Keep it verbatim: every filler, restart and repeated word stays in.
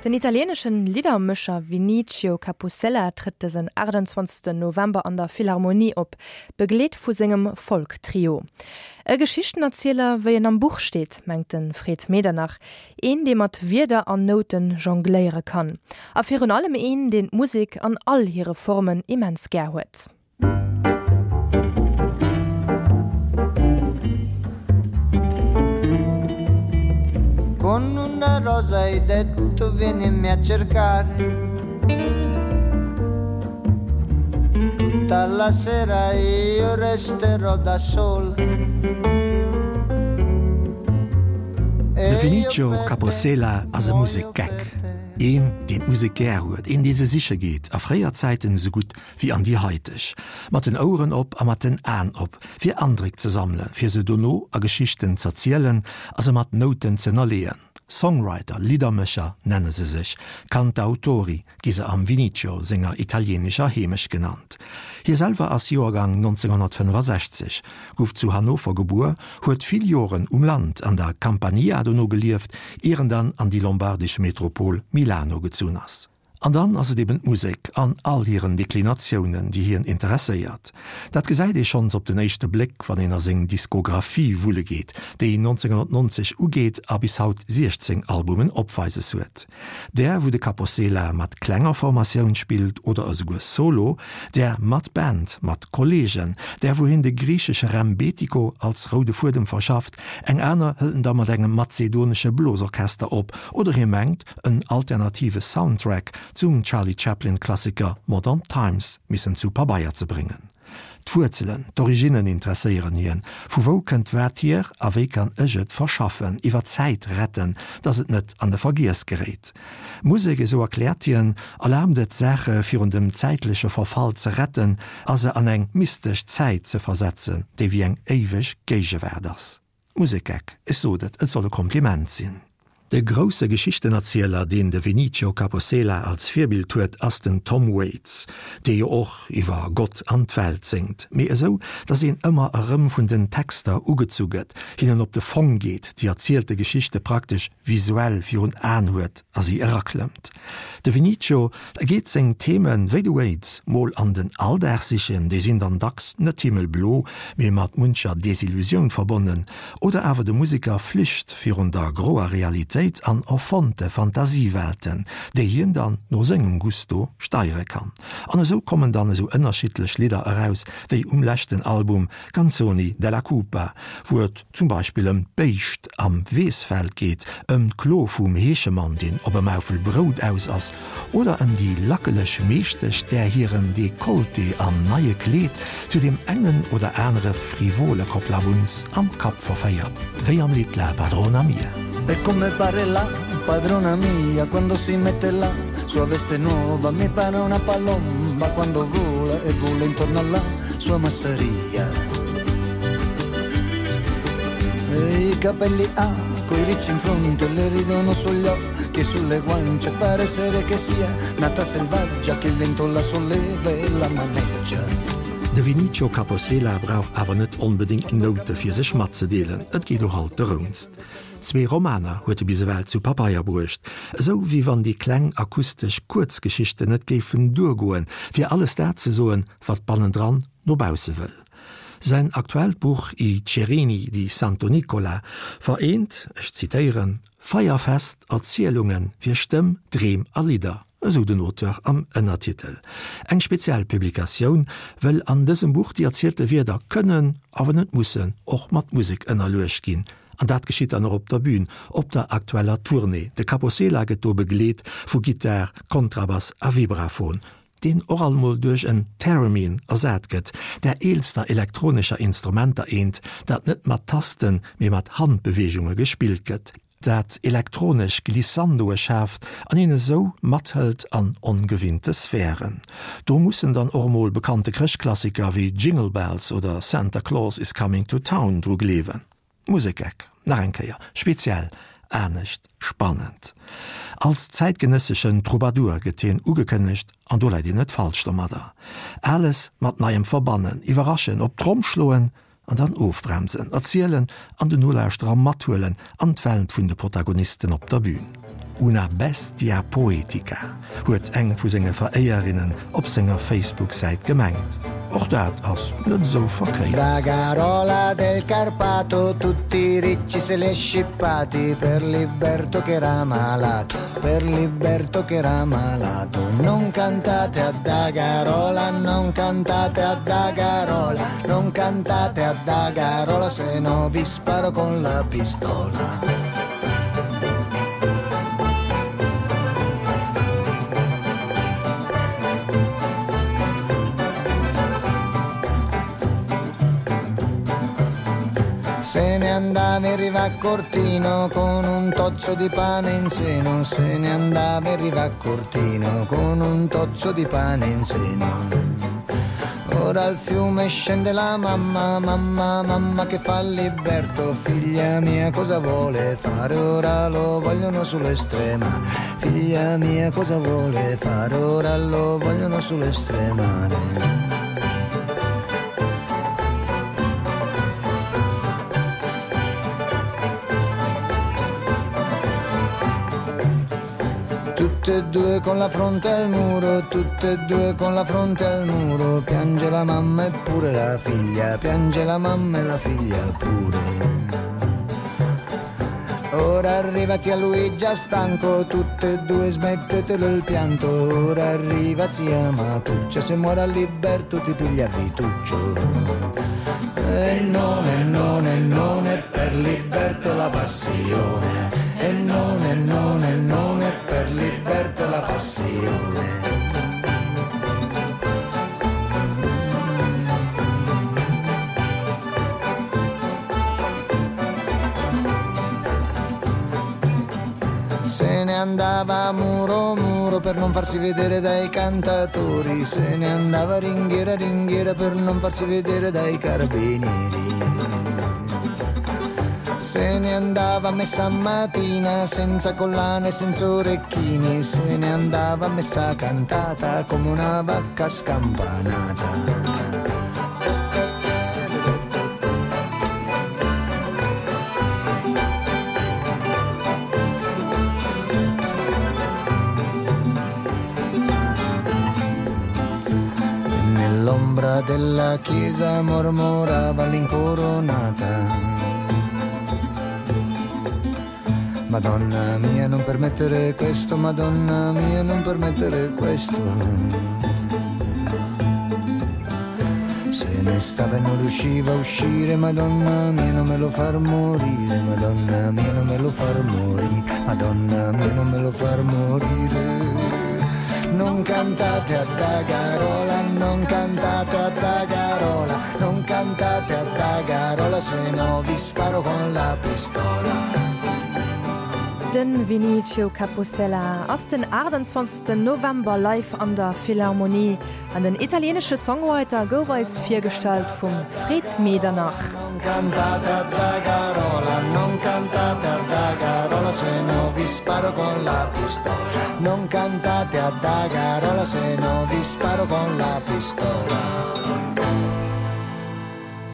Den italieeneschen Liddermécher Vinicio Capossela trëtt dësen achtundzwanzegsten November an der Philharmonie op, begleet vu sengem Folk-Trio. E Geschichtenerzieler, wéi en am Buch steet, mengt de Fred Medernach, een, dee mat Wierder an Nouten jongléiere kann. A virun allem een, deen d'Musek an all hire Formen immens gär huet. Con una rosa hai detto vienimi a cercare. Tutta la sera io resterò da sola. De Vinicio Capossela ass e Musek-Geck. Een, deen d'Musek gär huet, een, dee se siche geet, a fréier Zäiten esou gutt wéi an déi haiteg. Mat den Oueren op a mat den Aen op, fir Andréck ze sammelen, fir se dono a Geschichten z'erzielen a se mat Nouten z'ënnerleeën. Songwriter, Liddermécher nenne se sech, Cantautori gi se am Vinicio senger italieenescher Heemecht genannt. Hie selwer ass Joergang nonzénghonnertfënnefasechzeg, gouf zu Hannover gebuer, huet vill Joren um Land, an der Campania dono gelieft, ier en dann an déi lombardesch Metropol Milano gezunn ass. An dann ass et eben d'Musek an all hiren Deklinatiounen, déi hien interesséiert. Dat gesäit ee schonns op den éischte Bléck, wann een a seng Diskographie wulle geet, déi nonzénghonnertnonzeg ugeet a bis haut siechzéng Albumen opweises huet. Där, wou de Capossela mat klenger Formatioun spillt oder esouguer solo, där mat Band, mat Kolleegen, där, wou hien de griichesche Rembetiko als roude Fuedem verschafft, eng aner hëlt en da mat engem mazedonesche Blosorchester op oder hie mengt, en alternative Soundtrack zum Charlie Chaplin-Klassiker Modern Times missen zu Pabeier ze bréngen. D'Wuerzelen, d'Originnen interesséieren hien, Vu wou kënnt wat hier a wéi kann ech et verschaffen, iwwer d'Zäit retten, datt et net an de Vergiess geréit? Musek, esou erkläert hien, erlaabt et, Saache virun dem zäitleche Verfall ze retten a se an eng mystesch Zäit ze versetzen, déi wéi eng éiweg Géigewaart ass. Musekgeck, ech sot et, et soll e Kompliment sinn. De grousse Geschichtenerzieler, deen de Vinicio Capossela als Virbild huet, ass den Tom Waits, dee jo och iwwer Gott an d'Welt séngt, mee esou, datt een ëmmer erëm vun den Texter ugezu gëtt, hinnen op de Fong geet, déi erzielte Geschichte praktesch visuell virun Aen huet a si eraklëmmt. De Vinicio geet seng Themen, wéi de Waits, mol an den Alldag sichen, déi sinn dann dacks net himmelblo, mee mat muncher Desillusioun verbonnen, oder awer de Museker flücht virun der groer Realitéit an erfonnte Fantasiewelten, déi hien dann no sengem Gusto steiere kann. An esou kommen dann esou ënnerschiddlech Lidder eraus, wéi um leschten Album Canzoni della Cupa, wou et zum Beispill ëm d'Béischt am Weessfeld geet, ëm d'Klo vum Heeschemann, deen op e Maufel Brout aus ass, oder ëm déi lackeleg Meeschtesch, där hiren Dekolleté am neie Kleed zu deem engen oder anere frivole Kopplawunz am Kapp verféiert, wéi am Lidd La padrona mia. E come pare la padrona mia quando si mette la sua veste nuova mi pare una palomba quando vola e vola intorno alla sua masseria. E i capelli ha coi ricci in fronte le ridono sugli occhi e sulle guance pare essere che sia nata selvaggia che il vento la solleva e la maneggia. De Vinicio Capossela brauch awer net onbedéngt Noute fir sech matzedeelen, et geet och alt derounst. Zwee Romaner huet e bis ewell zu Pabeier bruecht, esou wéi wann déi kleng akustesch Kuerzgeschichten net géifen duergoen, fir alles dat ze soen, wat bannendran no bausse wëll. Säin aktuellt Buch I Cerini di Santo Nicola vereent, ech zitéieren, feierfest Erzielunge fir Stëmm, Dreem a Lidder, esou den Auteur am Ënnertitel. Eng speziell Publikatioun, wëll an dësem Buch déi erzielte Wierder kënnen, awer net mussen, och mat Musek ënnerluecht ginn. An dat geschitt dann och op der Bün, op der aktueller Tournée. De Capossela gëtt do begleet vu Gittar, Kontrabass a Vibraphon, deen och alt mol duerch en Theremin ersat gëtt, där eelster elektronescher Instrumenter eent, dat net mat Tasten, mee mat Handbeweegunge gespillt gëtt, dat elektronesch Glissandoe schaaft an een esou mathëlt an ongewinnte Sphären. Do mussen dann och emol bekannte Chrëschtklassiker wéi Jingle Bells oder Santa Claus is Coming to Town dru gleewen. Musekeck, nach eng Kéier, speziell, anescht, spannend. Als zäitgenësseschen Troubadour gëtt hien ugekënnegt, an do läit een net falsch domadder. Ales mat Neiem verbannen, iwwerraschen, op d'Tromm schloen an dann ofbremsen, erzielen an den Nolauschterer mathuelen an d'Welt vun de Protagonisten op der Bün. Una bestia poetica, huet eng vu senge Veréierinnen op senger Facebook-Säit gemengt. Och dat ass net esou verkéiert. Da Garola del Carpato tutti i ricci se li scippati per Liberto che era malato, per Liberto che era malato. Non cantate a Dagarola, non cantate a Dagarola, non cantate a Dagarola se no vi sparo con la pistola. Se ne andava in riva a Cortino con un tozzo di pane in seno, se ne andava in riva a Cortino con un tozzo di pane in seno. Ora al fiume scende la mamma, mamma, mamma che fa Liberto, figlia mia cosa vuole fare, ora lo vogliono sull'estrema, figlia mia cosa vuole fare, ora lo vogliono sull'estremare. Tutte e due con la fronte al muro, tutte e due con la fronte al muro, piange la mamma e pure la figlia, piange la mamma e la figlia pure. Ora arriva zia Luigia stanco, tutte e due smettetelo il pianto, ora arriva zia Matuccia, se muore Liberto ti piglia Vituccio. E non, e non, e non è per Liberto la passione, e non, e non, e non è per Liberto la passione. Se ne andava muro muro per non farsi vedere dai cantatori, se ne andava ringhiera ringhiera per non farsi vedere dai carabinieri. Se ne andava a messa mattina senza collane, senza orecchini, se ne andava a messa cantata come una vacca scampanata. Nell'ombra della chiesa mormorava l'incoronata. Madonna mia non permettere questo, Madonna mia non permettere questo. Se ne stava e non riusciva a uscire, Madonna mia non me lo far morire, Madonna mia non me lo far morire, Madonna mia non me lo far morire. Non cantate a Dagarola, non cantate a Dagarola, non cantate a Dagarola, se no vi sparo con la pistola. De Vinicio Capossela ass den achtundzwanzegsten November live an der Philharmonie. An den italieenesche Songwriter gouf eis virgestallt vum Fred Medernach. Non cantate a Dagarola, non cantate a Dagarola, se no vi sparo con la pistola. Non cantate a Dagarola, se no vi sparo con la pistola.